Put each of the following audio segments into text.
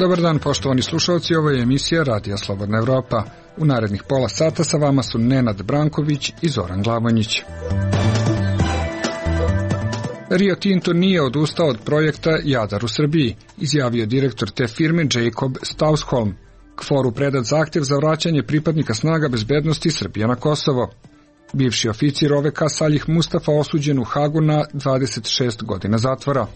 Dobar dan, poštovani slušalci, ovo je emisija Radija Slobodna Evropa. U narednih pola sata sa vama su Nenad Branković i Zoran Glavonjić. Rio Tinto nije odustao od projekta Jadar u Srbiji, izjavio direktor te firme Jacob Stausholm. KFOR-u predat zahtjev za vraćanje pripadnika snaga bezbednosti Srbije na Kosovo. Bivši oficir OVK Salih Mustafa osuđen u Hagu na 26 godina zatvora.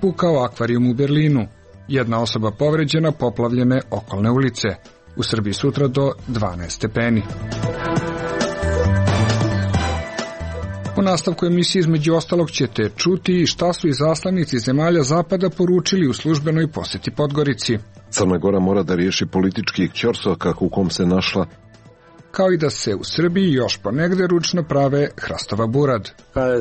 Pukao akvarijum u Berlinu. Jedna osoba povređena, poplavljene okolne ulice. U Srbiji sutra do 12 stepeni. U nastavku emisije između ostalog ćete čuti šta su izaslanici zemalja Zapada poručili u službenoj poseti Podgorici. Crna Gora mora da riješi politički ćorsokak u kom se našla, kao i da se u Srbiji još ponegde ručno prave hrastova burad.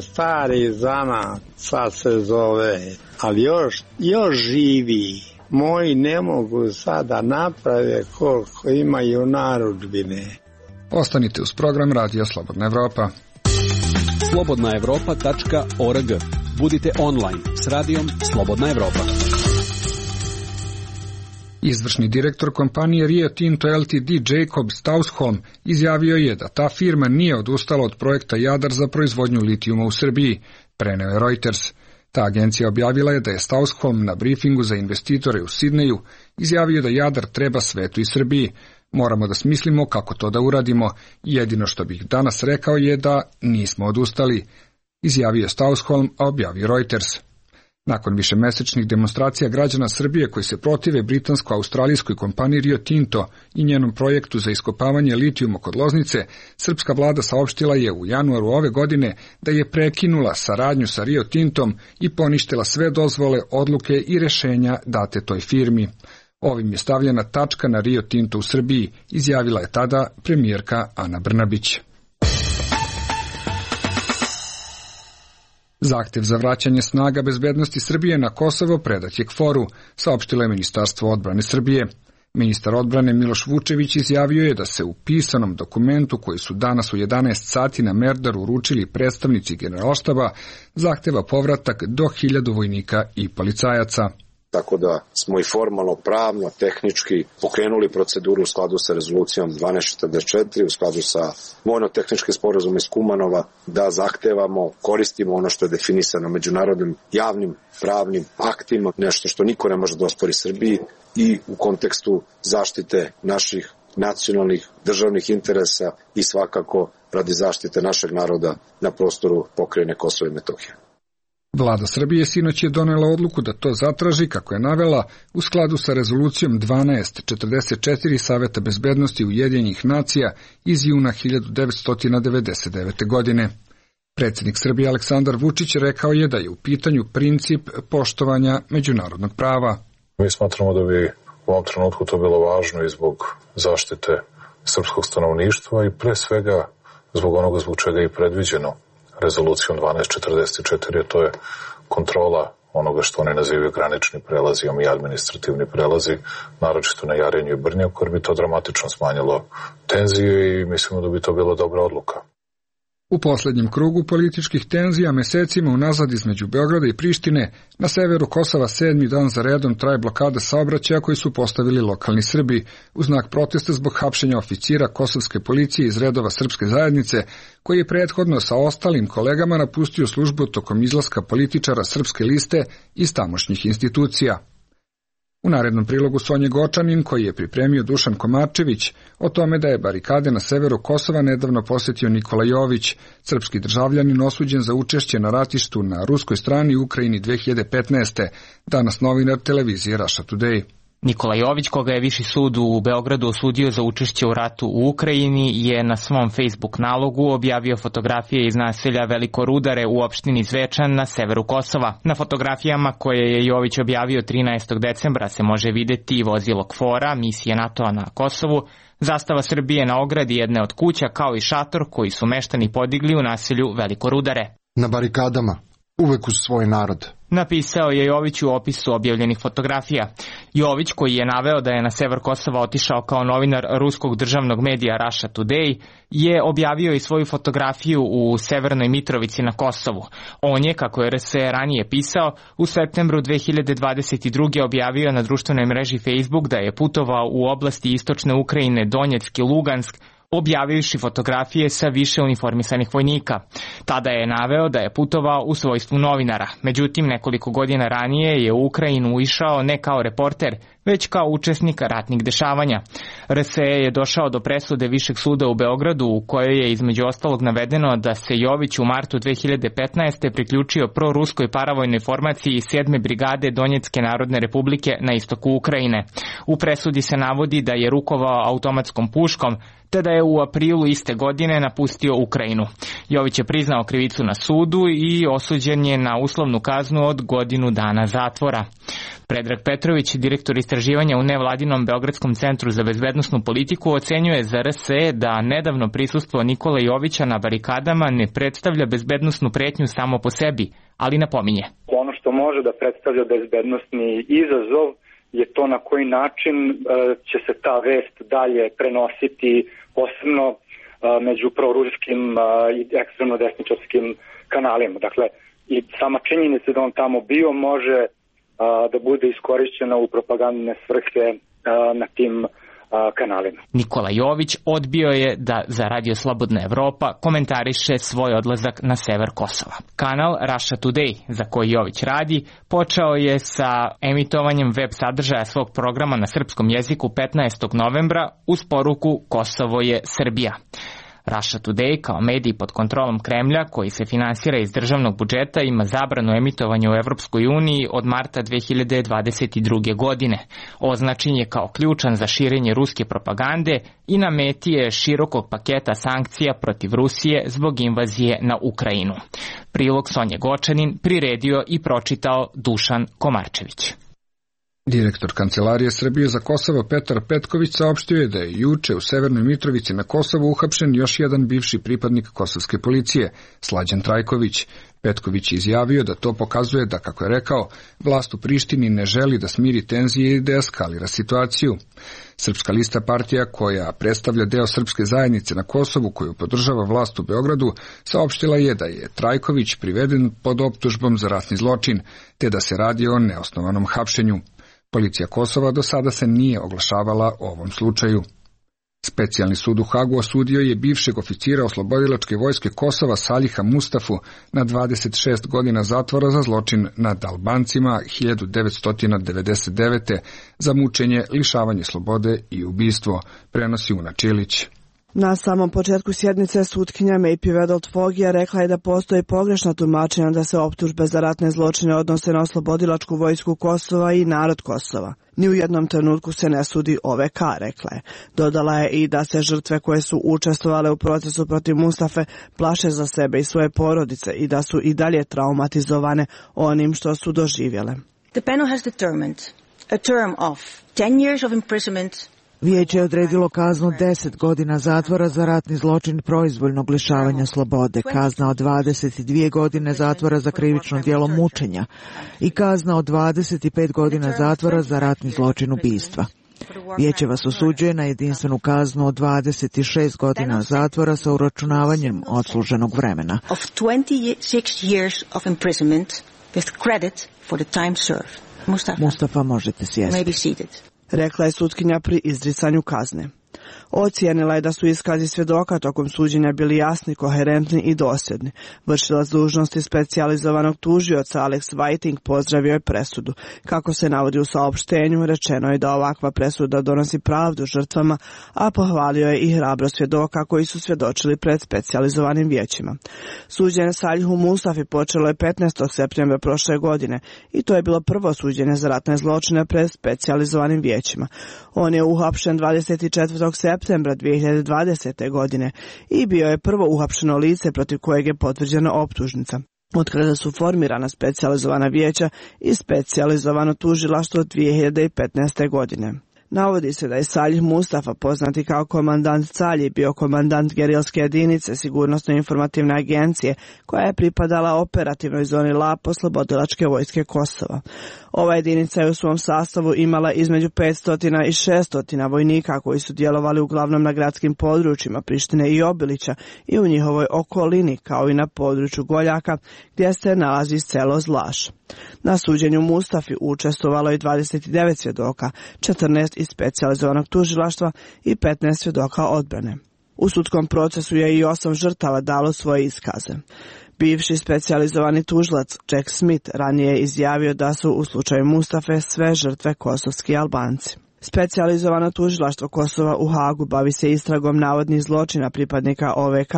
Stari zanat, sad se zove, ali još živi. Moji ne mogu sada naprave koliko imaju narudžbine. Ostanite uz program Radija Slobodna Evropa. slobodnaevropa.org. Budite online s radijom Slobodna Evropa. Izvršni direktor kompanije Rio Tinto Ltd. Jacob Stausholm izjavio je da ta firma nije odustala od projekta Jadar za proizvodnju litijuma u Srbiji, preneo je Reuters. Ta agencija objavila je da je Stausholm na brifingu za investitore u Sidneju izjavio da Jadar treba svetu i Srbiji. Moramo da smislimo kako to da uradimo. Jedino što bih danas rekao je da nismo odustali, izjavio Stausholm, a objavio Reuters. Nakon višemesečnih demonstracija građana Srbije koji se protive britansko-australijskoj kompaniji Rio Tinto i njenom projektu za iskopavanje litijuma kod Loznice, srpska vlada saopštila je u januaru ove godine da je prekinula saradnju sa Rio Tintom i poništila sve dozvole, odluke i rešenja date toj firmi. Ovim je stavljena tačka na Rio Tinto u Srbiji, izjavila je tada premijerka Ana Brnabić. Zahtev za vraćanje snaga bezbednosti Srbije na Kosovo predat je KFOR-u, saopštilo je Ministarstvo odbrane Srbije. Ministar odbrane Miloš Vučević izjavio je da se u pisanom dokumentu koji su danas u 11 sati na Merdaru uručili predstavnici generalštaba zahteva povratak do 1000 vojnika i policajaca. Tako da smo i formalno, pravno, tehnički pokrenuli proceduru u skladu sa rezolucijom 1244, u skladu sa vojno-tehničkim sporazumom iz Kumanova, da zahtevamo, koristimo ono što je definisano međunarodnim javnim pravnim aktima, nešto što niko ne može da ospori Srbiji i u kontekstu zaštite naših nacionalnih državnih interesa i svakako radi zaštite našeg naroda na prostoru pokrajine Kosova i Metohije. Vlada Srbije sinoć je donela odluku da to zatraži, kako je navela, u skladu sa rezolucijom 1244 Saveta bezbednosti Ujedinjenih nacija iz juna 1999. godine. Predsjednik Srbije Aleksandar Vučić rekao je da je u pitanju princip poštovanja međunarodnog prava. Mi smatramo da bi u ovom trenutku to bilo važno i zbog zaštite srpskog stanovništva i pre svega zbog onoga zbog čega je predviđeno rezolucijom 1244, to je kontrola onoga što oni nazivaju granični prelazi i administrativni prelazi, naročito na Jarinju i Brnjaku, jer bi to dramatično smanjilo tenzije i mislimo da bi to bila dobra odluka. U posljednjem krugu političkih tenzija mesecima unazad između Beograda i Prištine, na severu Kosova 7. dan za redom traje blokada saobraćaja koji su postavili lokalni Srbi u znak protesta zbog hapšenja oficira kosovske policije iz redova srpske zajednice, koji je prethodno sa ostalim kolegama napustio službu tokom izlaska političara Srpske liste iz tamošnjih institucija. U narednom prilogu Sonje Gočanin, koji je pripremio Dušan Komarčević, o tome da je barikade na severu Kosova nedavno posjetio Nikola Jović, srpski državljanin osuđen za učešće na ratištu na ruskoj strani u Ukrajini 2015. Danas novinar televizije Russia Today. Nikola Jović, koga je Viši sud u Beogradu osudio za učešće u ratu u Ukrajini, je na svom Facebook nalogu objavio fotografije iz naselja Veliko Rudare u opštini Zvečan na severu Kosova. Na fotografijama koje je Jović objavio 13. decembra se može videti vozilo KFOR-a, misije NATO-a na Kosovu, zastava Srbije na ogradi jedne od kuća, kao i šator koji su meštani podigli u naselju Veliko Rudare. Na barikadama uvek uz svoj narod. Napisao je Jović u opisu objavljenih fotografija. Jović, koji je naveo da je na sever Kosova otišao kao novinar ruskog državnog medija Russia Today, je objavio i svoju fotografiju u Severnoj Mitrovici na Kosovu. On je, kako je RS ranije pisao, u septembru 2022. objavio na društvenoj mreži Facebook da je putovao u oblasti istočne Ukrajine, Donjeck i Lugansk, objavivši fotografije sa više uniformisanih vojnika. Tada je naveo da je putovao u svojstvu novinara. Međutim, nekoliko godina ranije je u Ukrajinu išao ne kao reporter, već kao učesnik ratnih dešavanja. RSE je došao do presude Višeg suda u Beogradu, u kojoj je između ostalog navedeno da se Jović u martu 2015. priključio proruskoj paravojnoj formaciji 7. brigade Donjecke narodne republike na istoku Ukrajine. U presudi se navodi da je rukovao automatskom puškom, te da je u aprilu iste godine napustio Ukrajinu. Jović je priznao krivicu na sudu i osuđen je na uslovnu kaznu od godinu dana zatvora. Predrag Petrović, direktor istraživanja u nevladinom Beogradskom centru za bezbednosnu politiku, ocenjuje za RSE da nedavno prisustvo Nikole Jovića na barikadama ne predstavlja bezbednosnu pretnju samo po sebi, ali napominje. Ono što može da predstavlja bezbednosni izazov je to na koji način će se ta vest dalje prenositi, posebno među proruskim i ekstremno desničarskim kanalima. Dakle, i sama činjenica da on tamo bio može da bude iskorišćena u propagandne svrhe na tim kanalima. Nikola Jović odbio je da za Radio Slobodna Evropa komentariše svoj odlazak na sever Kosova. Kanal Russia Today, za koji Jović radi, počeo je sa emitovanjem web sadržaja svog programa na srpskom jeziku 15. novembra uz poruku Kosovo je Srbija. Russia Today, kao medij pod kontrolom Kremlja, koji se finansira iz državnog budžeta, ima zabranu emitovanja u Evropskoj uniji od marta 2022. godine. Označen je kao ključan za širenje ruske propagande i na meti je širokog paketa sankcija protiv Rusije zbog invazije na Ukrajinu. Prilog Sonje Gočanin priredio i pročitao Dušan Komarčević. Direktor Kancelarije Srbije za Kosovo Petar Petković saopštio je da je juče u Severnoj Mitrovici na Kosovu uhapšen još jedan bivši pripadnik kosovske policije, Slađan Trajković. Petković je izjavio da to pokazuje da, kako je rekao, vlast u Prištini ne želi da smiri tenzije i da eskalira situaciju. Srpska lista partija, koja predstavlja deo srpske zajednice na Kosovu koju podržava vlast u Beogradu, saopštila je da je Trajković priveden pod optužbom za ratni zločin, te da se radi o neosnovanom hapšenju. Policija Kosova do sada se nije oglašavala o ovom slučaju. Specijalni sud u Hagu osudio je bivšeg oficira oslobodilačke vojske Kosova Saliha Mustafu na 26 godina zatvora za zločin nad Albancima 1999. za mučenje, lišavanje slobode i ubistvo, prenosi Una Čilić. Na samom početku sjednice sutkinja Maypi Vedelt-Fogija rekla je da postoji pogrešna tumačenja da se optužbe za ratne zločine odnose na oslobodilačku vojsku Kosova i narod Kosova. Ni u jednom trenutku se ne sudi OVK, rekla je. Dodala je i da se žrtve koje su učestvovale u procesu protiv Mustafe plaše za sebe i svoje porodice i da su i dalje traumatizovane onim što su doživjele. The panel has determined a term of 10 years of imprisonment. Vijeće je odredilo kaznu 10 godina zatvora za ratni zločin proizvoljnog lišavanja slobode, kazna od 22 godine zatvora za krivično djelo mučenja i kazna od 25 godina zatvora za ratni zločin ubistva. Vijeće vas osuđuje na jedinstvenu kaznu od 26 godina zatvora sa uračunavanjem odsluženog vremena. Of 26 years of imprisonment with credit for the time served. Mustafa, možete sjesti, rekla je sutkinja pri izricanju kazne. Ocijenila je da su iskazi svjedoka tokom suđenja bili jasni, koherentni i dosljedni. Vršilac dužnosti specijalizovanog tužioca Alex Whiting pozdravio je presudu. Kako se navodi u saopštenju, rečeno je da ovakva presuda donosi pravdu žrtvama, a pohvalio je i hrabro svjedoka koji su svjedočili pred specijalizovanim vijećima. Suđenje Salihu Mustafi počelo je 15. septembra prošle godine i to je bilo prvo suđenje za ratne zločine pred specijalizovanim vijećima. On je uhapšen 24. septembra 2020. godine i bio je prvo uhapšeno lice protiv kojeg je potvrđena optužnica. Od kada su formirana specijalizovana vijeća i specijalizovano tužilaštvo 2015. godine. Navodi se da je Salih Mustafa, poznati kao komandant Calji, bio komandant gerilske jedinice Sigurnosno-informativne agencije, koja je pripadala operativnoj zoni LAP Oslobodilačke vojske Kosova. Ova jedinica je u svom sastavu imala između 500 i 600 vojnika koji su djelovali uglavnom na gradskim područjima Prištine i Obilića i u njihovoj okolini, kao i na području Goljaka, gdje se nalazi selo Zlaš. Na suđenju Mustafi učestvovalo je 29 svjedoka, 14 iz specijalizovanog tužilaštva i 15 svjedoka odbrane. U sudskom procesu je i 8 žrtava dalo svoje iskaze. Bivši specijalizovani tužilac Jack Smith ranije je izjavio da su u slučaju Mustafe sve žrtve kosovski Albanci. Specijalizovano tužilaštvo Kosova u Hagu bavi se istragom navodnih zločina pripadnika OVK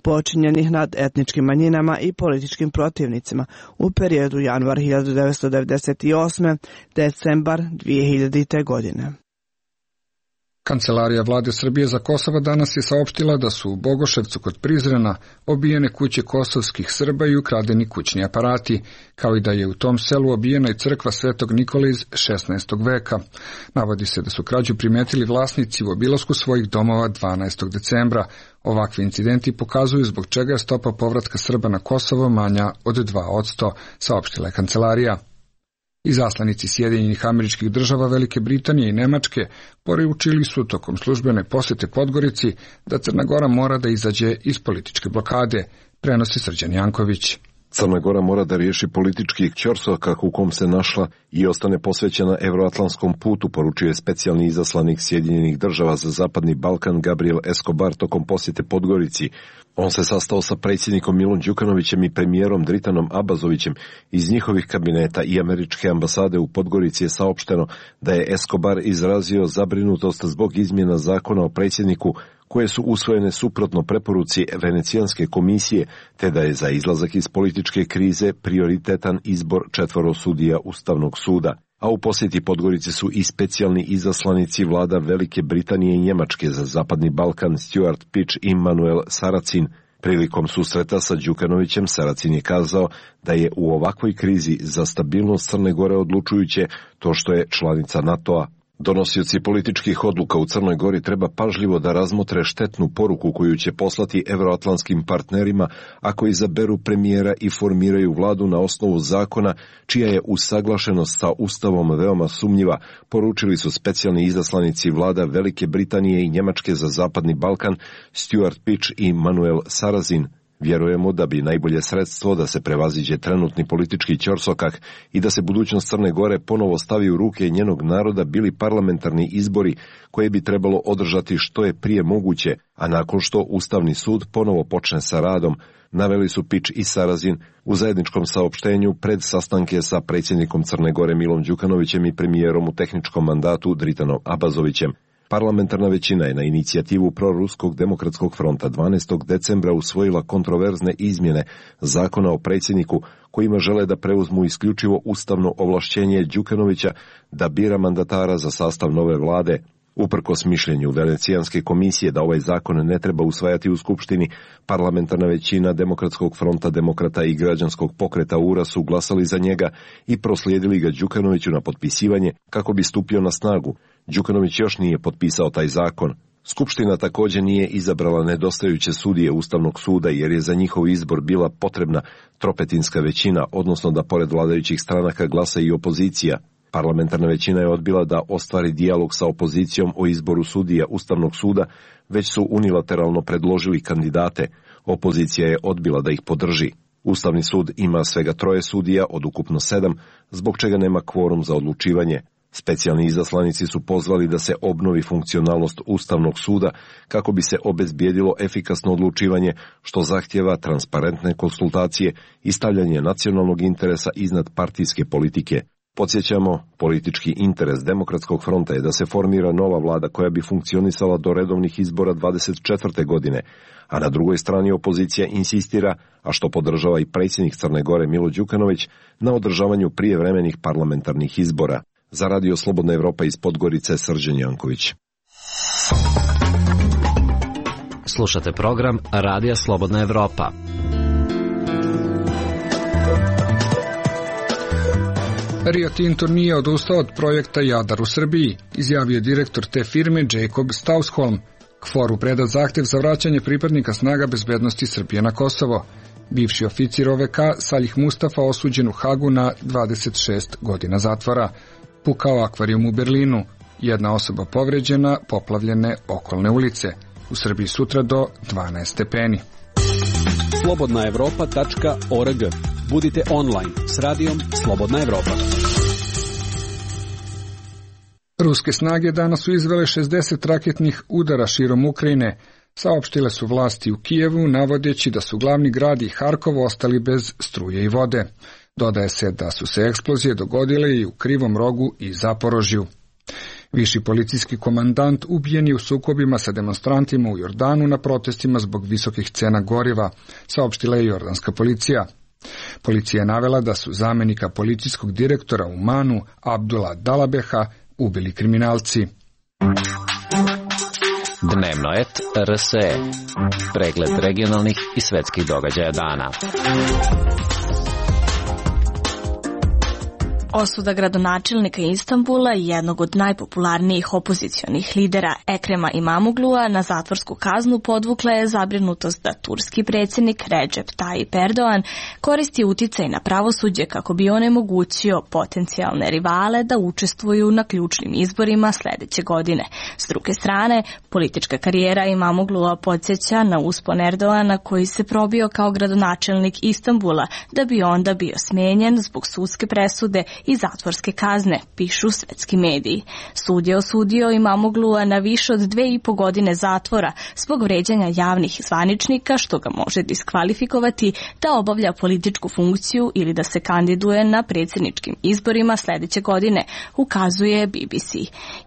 počinjenih nad etničkim manjinama i političkim protivnicima u periodu januar 1998. decembar 2000. godine. Kancelarija vlade Srbije za Kosovo danas je saopštila da su u Bogoševcu kod Prizrena obijene kuće kosovskih Srba i ukradeni kućni aparati, kao i da je u tom selu obijena i crkva Svetog Nikole iz 16. veka. Navodi se da su krađu primetili vlasnici u obilasku svojih domova 12. decembra. Ovakvi incidenti pokazuju zbog čega je stopa povratka Srba na Kosovo manja od 2%, saopštila je kancelarija. Izaslanici Sjedinjenih Američkih Država, Velike Britanije i Nemačke poručili su tokom službene posjete Podgorici da Crna Gora mora da izađe iz političke blokade, prenosi Srđan Janković. Crna Gora mora da riješi politički ćorsokak u kom se našla i ostane posvećena evroatlantskom putu, poručio je specijalni izaslanik Sjedinjenih Država za Zapadni Balkan Gabriel Escobar tokom posjete Podgorici. On se sastao sa predsjednikom Milom Đukanovićem i premijerom Dritanom Abazovićem. Iz njihovih kabineta i američke ambasade u Podgorici je saopšteno da je Escobar izrazio zabrinutost zbog izmjena zakona o predsjedniku koje su usvojene suprotno preporuci Venecijanske komisije, te da je za izlazak iz političke krize prioritetan izbor 4 sudija Ustavnog suda. A u posjeti Podgorici su i specijalni izaslanici vlada Velike Britanije i Njemačke za Zapadni Balkan Stuart Pitch i Manuel Saracin. Prilikom susreta sa Đukanovićem Saracin je kazao da je u ovakvoj krizi za stabilnost Crne Gore odlučujuće to što je članica NATO-a. Donosioci političkih odluka u Crnoj Gori treba pažljivo da razmotre štetnu poruku koju će poslati evroatlantskim partnerima ako izaberu premijera i formiraju vladu na osnovu zakona čija je usaglašenost sa Ustavom veoma sumnjiva, poručili su specijalni izaslanici vlada Velike Britanije i Njemačke za Zapadni Balkan Stuart Pitch i Manuel Saracin. Vjerujemo da bi najbolje sredstvo da se prevaziđe trenutni politički ćorsokak i da se budućnost Crne Gore ponovo stavi u ruke njenog naroda bili parlamentarni izbori koje bi trebalo održati što je prije moguće, a nakon što Ustavni sud ponovo počne sa radom, naveli su Pitch i Saracin u zajedničkom saopštenju pred sastanke sa predsjednikom Crne Gore Milom Đukanovićem i premijerom u tehničkom mandatu Dritanom Abazovićem. Parlamentarna većina je na inicijativu Proruskog demokratskog fronta 12. decembra usvojila kontroverzne izmjene zakona o predsjedniku kojima žele da preuzmu isključivo ustavno ovlašćenje Đukanovića da bira mandatara za sastav nove vlade. Uprkos mišljenju Venecijanske komisije da ovaj zakon ne treba usvajati u Skupštini, parlamentarna većina Demokratskog fronta demokrata i građanskog pokreta URA su glasali za njega i proslijedili ga Đukanoviću na potpisivanje kako bi stupio na snagu. Đukanović još nije potpisao taj zakon. Skupština također nije izabrala nedostajuće sudije Ustavnog suda jer je za njihov izbor bila potrebna tropetinska većina, odnosno da pored vladajućih stranaka glasa i opozicija. Parlamentarna većina je odbila da ostvari dijalog sa opozicijom o izboru sudija Ustavnog suda, već su unilateralno predložili kandidate. Opozicija je odbila da ih podrži. Ustavni sud ima svega 3 sudija od ukupno 7, zbog čega nema kvorum za odlučivanje. Specijalni izaslanici su pozvali da se obnovi funkcionalnost Ustavnog suda kako bi se obezbijedilo efikasno odlučivanje, što zahtjeva transparentne konsultacije i stavljanje nacionalnog interesa iznad partijske politike. Podsjećamo, politički interes Demokratskog fronta je da se formira nova vlada koja bi funkcionisala do redovnih izbora 24. godine, a na drugoj strani opozicija insistira, a što podržava i predsjednik Crne Gore Milo Đukanović, na održavanju prijevremenih parlamentarnih izbora. Za Radio Slobodna Evropa iz Podgorice, Srđan Janković. Slušate program Radija Slobodna Evropa. Rio Tinto nije odustao od projekta Jadar u Srbiji, izjavio direktor te firme Jacob Stausholm. KFOR-u predat zahtev za vraćanje pripadnika snaga bezbednosti Srbije na Kosovo. Bivši oficir OVK Salih Mustafa osuđen u Hagu na 26 godina zatvora. Pukao akvarijum u Berlinu. Jedna osoba povređena, poplavljene okolne ulice. U Srbiji sutra do 12 stepeni. Slobodnaevropa.org. Budite online s radijom Slobodna Evropa. Ruske snage danas su izvele 60 raketnih udara širom Ukrajine. Saopštile su vlasti u Kijevu, navodeći da su glavni grad i Harkov ostali bez struje i vode. Dodaje se da su se eksplozije dogodile i u Krivom Rogu i Zaporožju. Viši policijski komandant ubijen je u sukobima sa demonstrantima u Jordanu na protestima zbog visokih cena goriva, saopštila je jordanska policija. Policija je navela da su zamenika policijskog direktora u Manu, Abdula Dalabeha, ubili kriminalci. Dnevno et RSE. Pregled regionalnih i svetskih događaja dana. Osuda gradonačelnika Istanbula i jednog od najpopularnijih opozicionih lidera Ekrema Imamoglua na zatvorsku kaznu podvukla je zabrinutost da turski predsjednik Recep Tayyip Erdogan koristi uticaj na pravosuđe kako bi onemogućio potencijalne rivale da učestvuju na ključnim izborima sljedeće godine. S druge strane, politička karijera Imamoglua podsjeća na uspon Erdogana koji se probio kao gradonačelnik Istanbula da bi onda bio smijenjen zbog sudske presude i zatvorske kazne, pišu svetski mediji. Sud je osudio Imamoglua na više od 2,5 godine zatvora zbog vređanja javnih zvaničnika, što ga može diskvalifikovati da obavlja političku funkciju ili da se kandiduje na predsjedničkim izborima sljedeće godine, ukazuje BBC.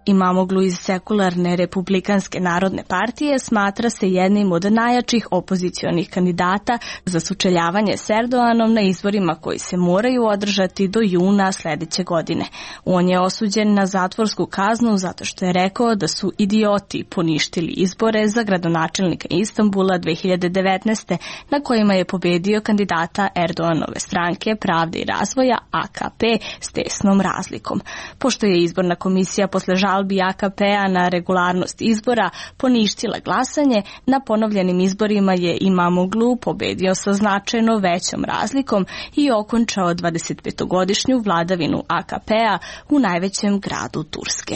Imamoglu iz sekularne Republikanske narodne partije smatra se jednim od najjačih opozicionih kandidata za sučeljavanje s Erdoganom na izborima koji se moraju održati do juna sljedeće godine. On je osuđen na zatvorsku kaznu zato što je rekao da su idioti poništili izbore za gradonačelnika Istanbula 2019. na kojima je pobedio kandidata Erdoganove stranke Pravde i razvoja AKP s tesnom razlikom. Pošto je izborna komisija posle žalbi AKP-a na regularnost izbora poništila glasanje, na ponovljenim izborima je Imamoglu pobedio sa značajno većom razlikom i okončao 25-godišnju vladavinu AKP-a u najvećem gradu Turske.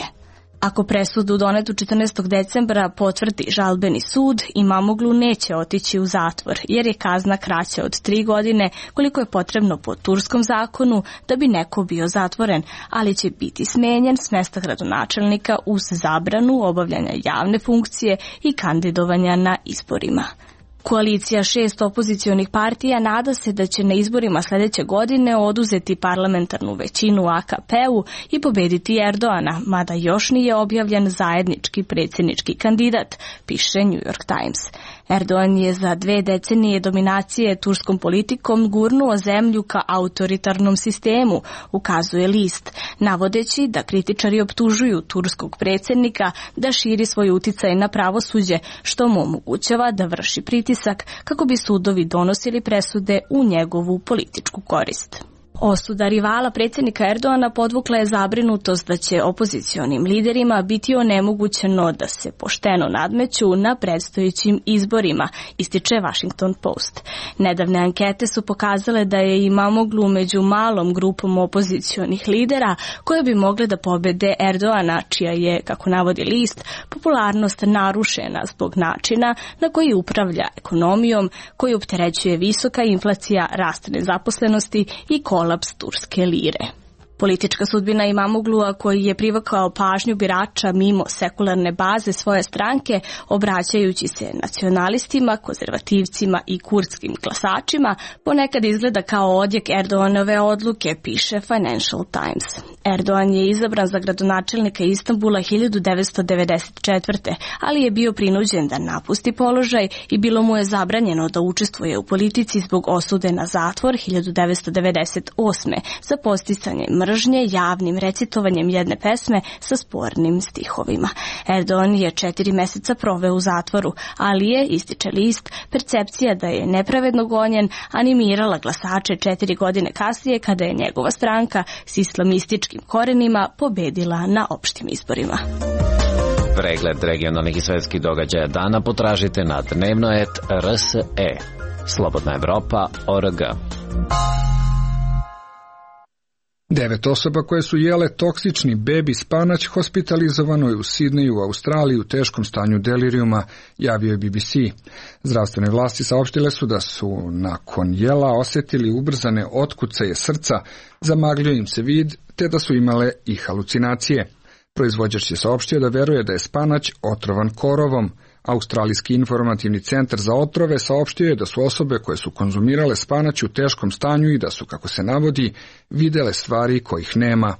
Ako presudu donetu 14. decembra potvrdi žalbeni sud, Imamoglu neće otići u zatvor, jer je kazna kraća od 3 godine, koliko je potrebno po turskom zakonu da bi neko bio zatvoren, ali će biti smenjen s mjesta gradonačelnika uz zabranu obavljanja javne funkcije i kandidovanja na izborima. Koalicija 6 opozicionih partija nada se da će na izborima sljedeće godine oduzeti parlamentarnu većinu AKP-u i pobediti Erdogana, mada još nije objavljen zajednički predsjednički kandidat, piše New York Times. Erdogan je za 2 decenije dominacije turskom politikom gurnuo zemlju ka autoritarnom sistemu, ukazuje list, navodeći da kritičari optužuju turskog predsjednika da širi svoj uticaj na pravosuđe, što mu omogućava da vrši pritisak kako bi sudovi donosili presude u njegovu političku korist. Osuda rivala predsjednika Erdogana podvukla je zabrinutost da će opozicionim liderima biti onemogućeno da se pošteno nadmeću na predstojećim izborima, ističe Washington Post. Nedavne ankete su pokazale da je Imamoglu među malom grupom opozicionih lidera koje bi mogle da pobede Erdogana, čija je, kako navodi list, popularnost narušena zbog načina na koji upravlja ekonomijom, koji opterećuje visoka inflacija, rast nezaposlenosti i kolaps turske lire. Politička sudbina Imamoglua, koji je privukao pažnju birača mimo sekularne baze svoje stranke, obraćajući se nacionalistima, konzervativcima i kurdskim glasačima, ponekad izgleda kao odjek Erdoganove odluke, piše Financial Times. Erdogan je izabran za gradonačelnika Istanbula 1994. ali je bio prinuđen da napusti položaj i bilo mu je zabranjeno da učestvuje u politici zbog osude na zatvor 1998. za podsticanje mržnje mržnje javnim recitovanjem jedne pesme sa spornim stihovima. Erdogan je 4 meseca proveo u zatvoru, ali je, ističe list, percepcija da je nepravedno gonjen animirala glasače 4 godine kasnije kada je njegova stranka s islamističkim korenima pobedila na opštim izborima. Pregled regionalnih i svetskih događaja dana potražite na dnevnoet.rse. Slobodna Evropa.org. 9 osoba koje su jele toksični bebi spanać hospitalizovano je u Sidneju u Australiji u teškom stanju delirijuma, javio je BBC. Zdravstvene vlasti saopštile su da su nakon jela osjetili ubrzane otkucaje srca, zamagljio im se vid, te da su imale i halucinacije. Proizvođač je saopštio da veruje da je spanać otrovan korovom. Australijski informativni centar za otrove saopštio je da su osobe koje su konzumirale spanać u teškom stanju i da su, kako se navodi, videle stvari kojih nema.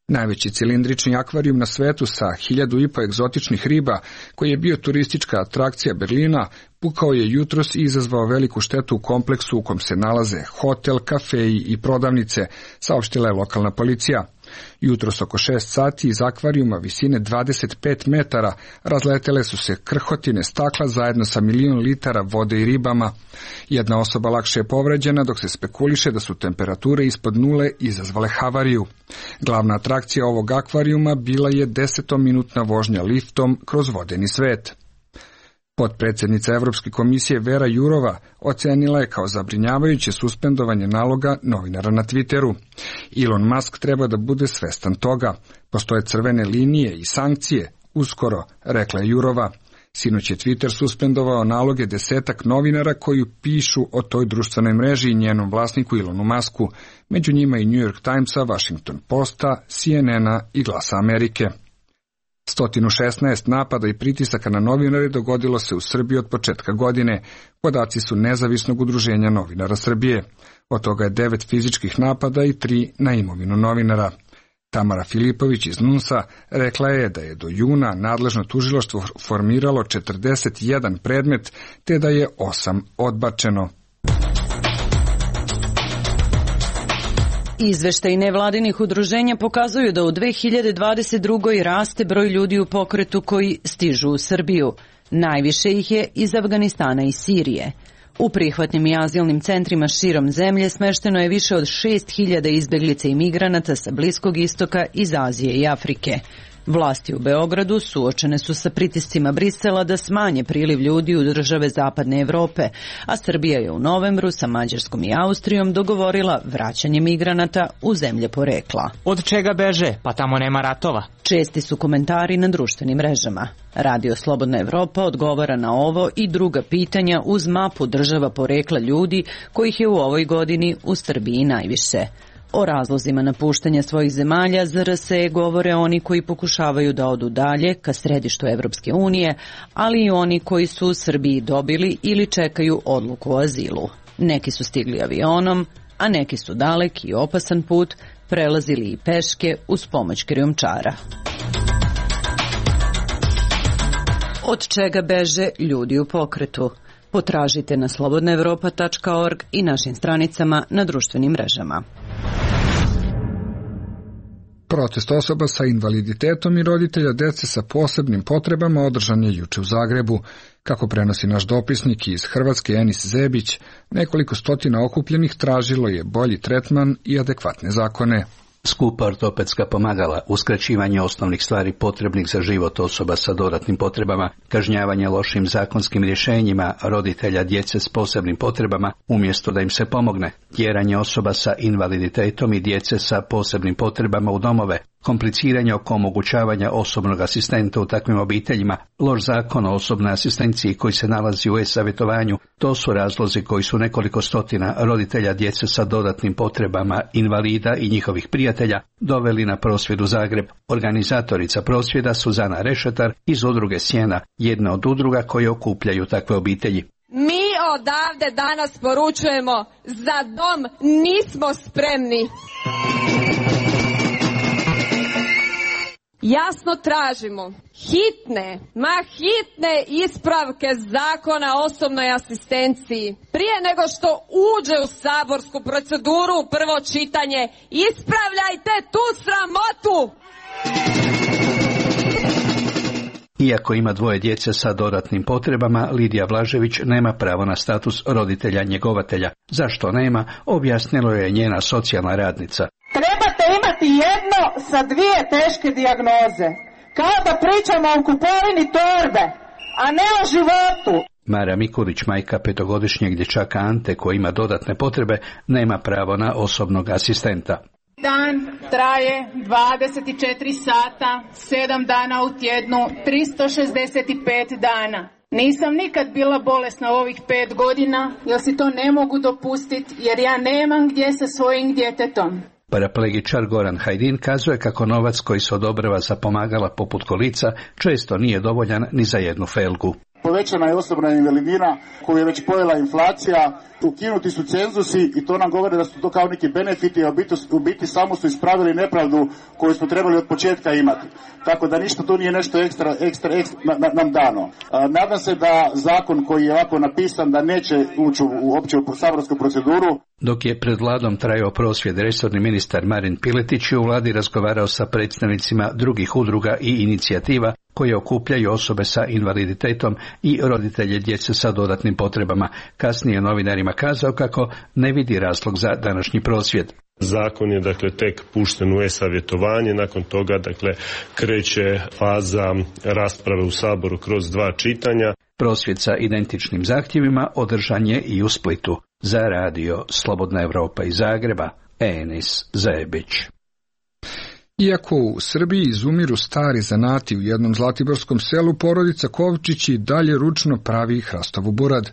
Najveći cilindrični akvarijum na svetu sa 1500 egzotičnih riba, koji je bio turistička atrakcija Berlina, pukao je jutros i izazvao veliku štetu u kompleksu u kom se nalaze hotel, kafeji i prodavnice, saopštila je lokalna policija. Jutros oko 6 sati iz akvarijuma visine 25 metara razletele su se krhotine stakla zajedno sa 1 milion litara vode i ribama. Jedna osoba lakše je povređena, dok se spekuliše da su temperature ispod nule izazvale havariju. Glavna atrakcija ovog akvarijuma bila je 10-minutna vožnja liftom kroz vodeni svet. Potpredsjednica Evropske komisije Vera Jourova ocenila je kao zabrinjavajuće suspendovanje naloga novinara na Twitteru. Elon Musk treba da bude svestan toga. Postoje crvene linije i sankcije, uskoro, rekla je Jourova. Sinoć je Twitter suspendovao naloge 10 novinara koji pišu o toj društvenoj mreži i njenom vlasniku Elonu Musku, među njima i New York Timesa, Washington Posta, CNN-a i Glasa Amerike. 116 napada i pritisaka na novinare dogodilo se u Srbiji od početka godine. Podaci su Nezavisnog udruženja novinara Srbije. Od toga je 9 fizičkih napada i 3 na imovinu novinara. Tamara Filipović iz NUNS-a rekla je da je do juna nadležno tužilaštvo formiralo 41 predmet, te da je 8 odbačeno. Izveštaji nevladinih udruženja pokazuju da u 2022. raste broj ljudi u pokretu koji stižu u Srbiju. Najviše ih je iz Afganistana i Sirije. U prihvatnim i azilnim centrima širom zemlje smešteno je više od 6.000 izbeglica i migranata sa Bliskog istoka, iz Azije i Afrike. Vlasti u Beogradu suočene su sa pritiscima Brisela da smanje priliv ljudi u države Zapadne Evrope, a Srbija je u novembru sa Mađarskom i Austrijom dogovorila vraćanje migranata u zemlje porekla. Od čega beže? Pa tamo nema ratova. Česti su komentari na društvenim mrežama. Radio Slobodna Evropa odgovara na ovo i druga pitanja uz mapu država porekla ljudi kojih je u ovoj godini u Srbiji najviše. O razlozima napuštanja svojih zemalja za RSE govore oni koji pokušavaju da odu dalje ka središtu Evropske unije, ali i oni koji su u Srbiji dobili ili čekaju odluku o azilu. Neki su stigli avionom, a neki su dalek i opasan put prelazili i peške uz pomoć krijumčara. Od čega beže ljudi u pokretu? Potražite na slobodnaevropa.org i našim stranicama na društvenim mrežama. Protest osoba sa invaliditetom i roditelja dece sa posebnim potrebama održan je juče u Zagrebu. Kako prenosi naš dopisnik iz Hrvatske Enis Zebić, nekoliko stotina okupljenih tražilo je bolji tretman i adekvatne zakone. Skupa ortopedska pomagala, uskraćivanje osnovnih stvari potrebnih za život osoba sa dodatnim potrebama, kažnjavanje lošim zakonskim rješenjima roditelja djece s posebnim potrebama umjesto da im se pomogne, tjeranje osoba sa invaliditetom i djece sa posebnim potrebama u domove, kompliciranje oko omogućavanja osobnog asistenta u takvim obiteljima, loš zakon o osobnoj asistenciji koji se nalazi u e-savjetovanju, to su razlozi koji su nekoliko stotina roditelja djece sa dodatnim potrebama, invalida i njihovih prijatelja doveli na prosvjed u Zagreb. Organizatorica prosvjeda Suzana Rešetar iz udruge Sjena, jedna od udruga koje okupljaju takve obitelji. Mi odavde danas poručujemo, za dom nismo spremni. jasno tražimo hitne ispravke zakona o osobnoj asistenciji. Prije nego što uđe u saborsku proceduru u prvo čitanje, ispravljajte tu sramotu! Iako ima 2 djece sa dodatnim potrebama, Lidija Blažević nema pravo na status roditelja njegovatelja. Zašto nema, objasnilo je njena socijalna radnica. Trebate imati jedno sa 2 teške dijagnoze. Kao da pričamo o kupovini torbe, a ne o životu. Mara Mikulić, majka 5-godišnjeg dječaka Ante koji ima dodatne potrebe, nema pravo na osobnog asistenta. Dan traje 24 sata, 7 dana u tjednu, 365 dana. Nisam nikad bila bolesna ovih 5 godina, jer si to ne mogu dopustiti, jer ja nemam gdje sa svojim djetetom. Paraplegičar Goran Hajdin kazuje kako novac koji se odobrava za pomagala poput kolica često nije dovoljan ni za jednu felgu. Povećana je osobna invalidnina koju je već pojela inflacija, ukinuti su cenzusi i to nam govore da su to kao neki benefiti, a u biti samo su ispravili nepravdu koju smo trebali od početka imati. Tako da ništa tu nije nešto ekstra nam dano. Nadam se da zakon koji je ovako napisan da neće ući uopće u saborsku proceduru. Dok je pred vladom trajao prosvjed, resorni ministar Marin Piletić je u vladi razgovarao sa predstavnicima drugih udruga i inicijativa koje okupljaju osobe sa invaliditetom i roditelje djece sa dodatnim potrebama. Kasnije novinarima kazao kako ne vidi razlog za današnji prosvjed. Zakon je tek pušten u e-savjetovanje, nakon toga kreće faza rasprave u Saboru kroz 2 čitanja. Prosvjed sa identičnim zahtjevima održan je i u Splitu. Za radio Slobodna Evropa iz Zagreba, Enis Zajebić. Iako u Srbiji izumiru stari zanati, u jednom zlatiborskom selu porodica Kovčić i dalje ručno pravi hrastovu burad.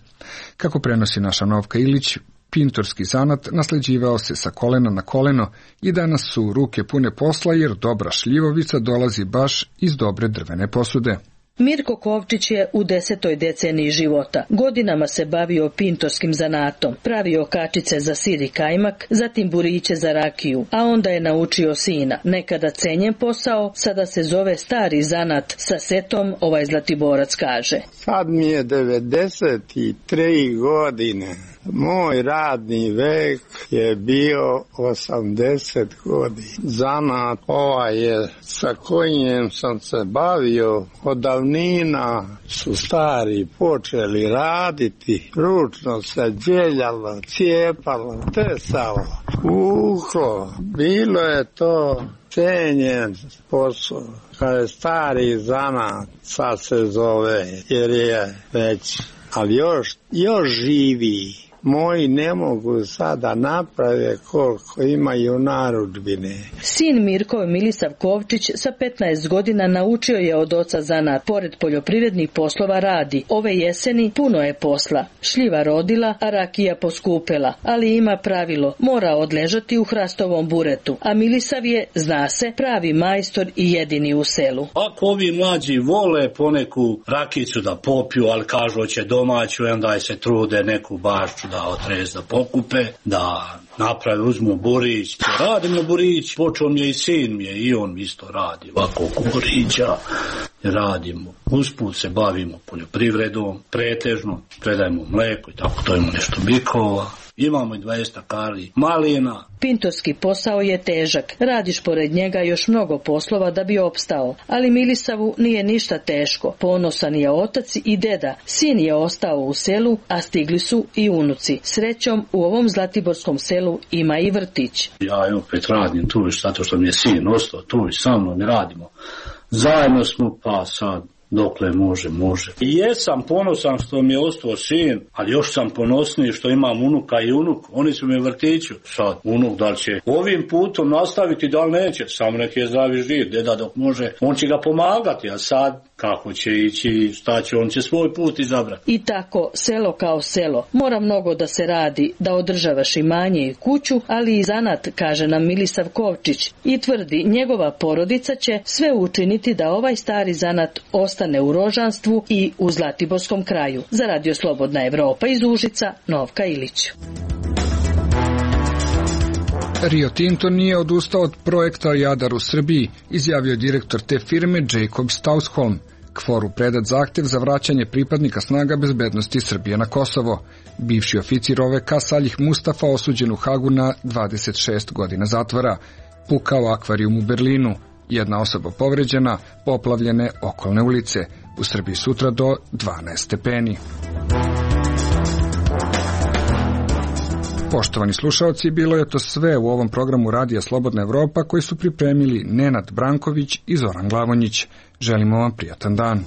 Kako prenosi naša Novka Ilić, pintorski zanat nasljeđivao se sa kolena na koleno i danas su ruke pune posla jer dobra šljivovica dolazi baš iz dobre drvene posude. Mirko Kovčić je u 10. deceniji života. Godinama se bavio pintorskim zanatom, pravio kačice za sir i kajmak, zatim buriće za rakiju, a onda je naučio sina. Nekada cenjen posao, sada se zove stari zanat sa setom, ovaj Zlatiborac kaže. Sad mi je 93 godine. Moj radni vek je bio 80 godina. Zanat je sa kojim sam se bavio od davnina su stari počeli raditi. Ručno se djeljalo, cijepalo, tesalo, uklo. Bilo je to cenjen posao. Kad je stari zanat, sad se zove, jer je već, ali još živi. Moji ne mogu sada naprave koliko imaju narudžbine. Sin Mirko Milisav Kovčić sa 15 godina naučio je od oca zanat. Pored poljoprivrednih poslova radi. Ove jeseni puno je posla. Šljiva rodila, a rakija poskupela. Ali ima pravilo, mora odležati u hrastovom buretu. A Milisav je, zna se, pravi majstor i jedini u selu. Ako ovi mlađi vole poneku rakicu da popiju, ali kažu hoće domaću, onda se trude neku bašću da otrez da pokupe, da naprave, uzmu burić. Radimo burić, počeo mi je i sin mi je, i on isto radi ovako oko burića. Radimo, usput se bavimo poljoprivredom, pretežno, predajemo mleko i tako, to imamo nešto bikova. Imamo i 200 kali malina. Pintorski posao je težak. Radiš pored njega još mnogo poslova da bi opstao. Ali Milisavu nije ništa teško. Ponosan je otac i deda. Sin je ostao u selu, a stigli su i unuci. Srećom, u ovom zlatiborskom selu ima i vrtić. Ja opet radim tu, zato što mi je sin ostao tu i sa mnom i radimo. Zajedno smo, pa sad dokle može. I jesam ponosan što mi je ostao sin, ali još sam ponosniji što imam unuka i unuk. Oni su mi u vrtiću. Sad, unuk da li će ovim putom nastaviti, da li neće. Samo neki je zdravi živ. Deda dok može, on će ga pomagati, a sad kako će ići, šta će, on će svoj put izabrati. I tako, selo kao selo. Mora mnogo da se radi, da održavaš imanje i kuću, ali i zanat, kaže nam Milisav Kovčić. I tvrdi, njegova porodica će sve učiniti da ovaj stari zanat ostane u rožanstvu i u Zlatiborskom kraju. Za radio Slobodna Evropa iz Užica, Novka Ilić. Rio Tinto nije odustao od projekta Jadar u Srbiji, izjavio direktor te firme Jacob Stausholm. KFOR-u predat zahtev za vraćanje pripadnika snaga bezbednosti Srbije na Kosovo. Bivši oficir OVK Salih Mustafa osuđen u Hagu na 26 godina zatvora. Pukao akvarijum u Berlinu. Jedna osoba povređena, poplavljene okolne ulice. U Srbiji sutra do 12 stepeni. Poštovani slušaoci, bilo je to sve u ovom programu Radija Slobodna Evropa koji su pripremili Nenad Branković i Zoran Glavonjić. Želimo vam prijatan dan.